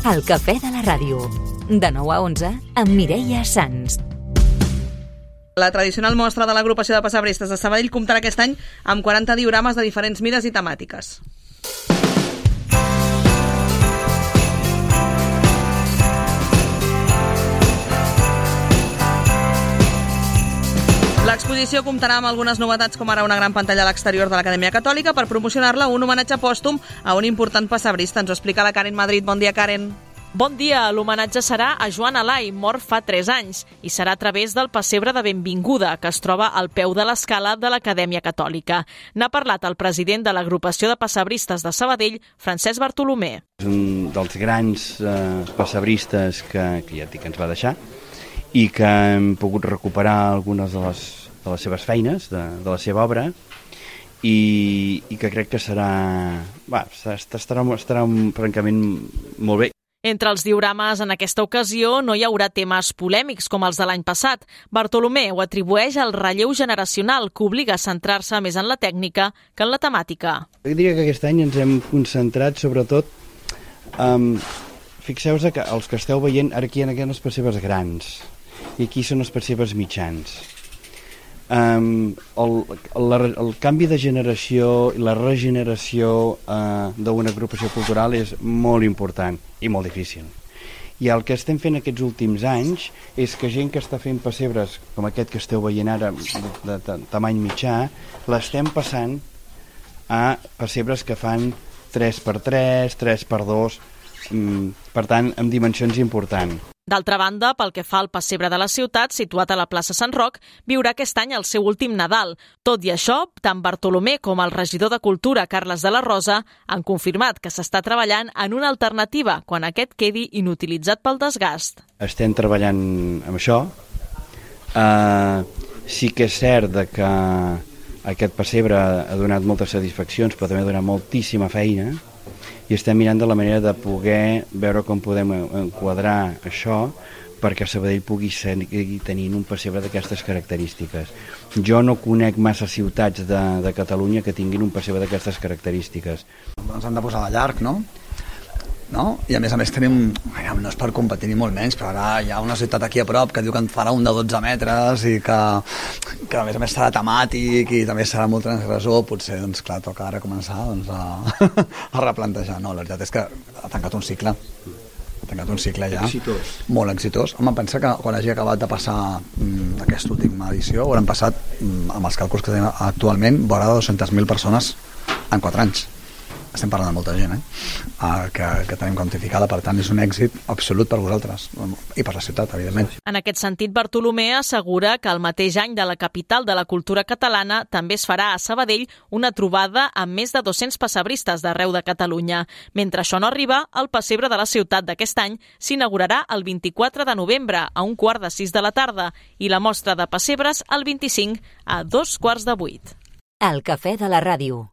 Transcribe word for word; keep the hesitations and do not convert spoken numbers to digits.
El cafè de la ràdio. De nou a onze, amb Mireia Sans. La tradicional mostra de l'agrupació de pessebristes de Sabadell comptarà aquest any amb quaranta diorames de diferents mides i temàtiques. L'exposició comptarà amb algunes novetats, com ara una gran pantalla a l'exterior de l'Acadèmia Catòlica per promocionar-la, un homenatge pòstum a un important pessebrista. Ens ho explica la Karen Madrid. Bon dia, Karen. Bon dia. L'homenatge serà a Joan Alai, mort fa tres anys, i serà a través del pessebre de benvinguda, que es troba al peu de l'escala de l'Acadèmia Catòlica. N'ha parlat el president de l'agrupació de pessebristes de Sabadell, Francesc Bartolomé. És un dels grans eh, pessebristes que, que ja et dic que ens va deixar, i que hem pogut recuperar algunes de les, de les seves feines, de, de la seva obra, i, i que crec que serà, va, estarà, estarà francament molt bé. Entre els diorames en aquesta ocasió no hi haurà temes polèmics com els de l'any passat. Bartolomé ho atribueix al relleu generacional, que obliga a centrar-se més en la tècnica que en la temàtica. Jo diria que aquest any ens hem concentrat sobretot um, fixeu-vos que els que esteu veient, ara aquí hi ha aquestes pessebres grans i aquí són els pessebres mitjans. Um, el, el, el canvi de generació i la regeneració uh, d'una agrupació cultural és molt important i molt difícil. I el que estem fent aquests últims anys és que gent que està fent pessebres com aquest que esteu veient ara de, de, de tamany mitjà, l'estem passant a pessebres que fan tres per tres, tres per dos, um, per tant, amb dimensions importants. D'altra banda, pel que fa al pessebre de la ciutat, situat a la plaça Sant Roc, viurà aquest any el seu últim Nadal. Tot i això, tant Bartolomé com el regidor de Cultura, Carles de la Rosa, han confirmat que s'està treballant en una alternativa quan aquest quedi inutilitzat pel desgast. Estem treballant amb això. Uh, sí que és cert que aquest pessebre ha donat moltes satisfaccions, però també ha donat moltíssima feina, i estem mirant de la manera de poder veure com podem enquadrar això perquè Sabadell pugui seguir tenint un pessebre d'aquestes característiques. Jo no conec massa ciutats de, de Catalunya que tinguin un pessebre d'aquestes característiques. Ens han de posar de llarg, no? No? I a més a més tenim, no és per competir ni molt menys, però ara hi ha una ciutat aquí a prop que diu que en farà un de dotze metres i que, que a més a més serà temàtic i també serà molt transgressor. Potser, doncs clar, toca ara començar doncs, a, a replantejar. No, la veritat és que ha tancat un cicle ha tancat un cicle ja exitós. Molt exitós. Home, pensa que quan hagi acabat de passar mm, aquesta última edició hauran passat, mm, amb els càlculs que tenim actualment, vora dues-centes mil persones en quatre anys. Estem parlant de molta gent, eh? Uh, que, que tenim quantificada, per tant és un èxit absolut per vosaltres i per la ciutat, evidentment. En aquest sentit, Bartolomé assegura que el mateix any de la capital de la cultura catalana també es farà a Sabadell una trobada amb més de dos-cents pessebristes d'arreu de Catalunya. Mentre això no arriba, el pessebre de la ciutat d'aquest any s'inaugurarà el vint-i-quatre de novembre a un quart de sis de la tarda i la mostra de pessebres el vint-i-cinc a dos quarts de vuit. El cafè de la ràdio.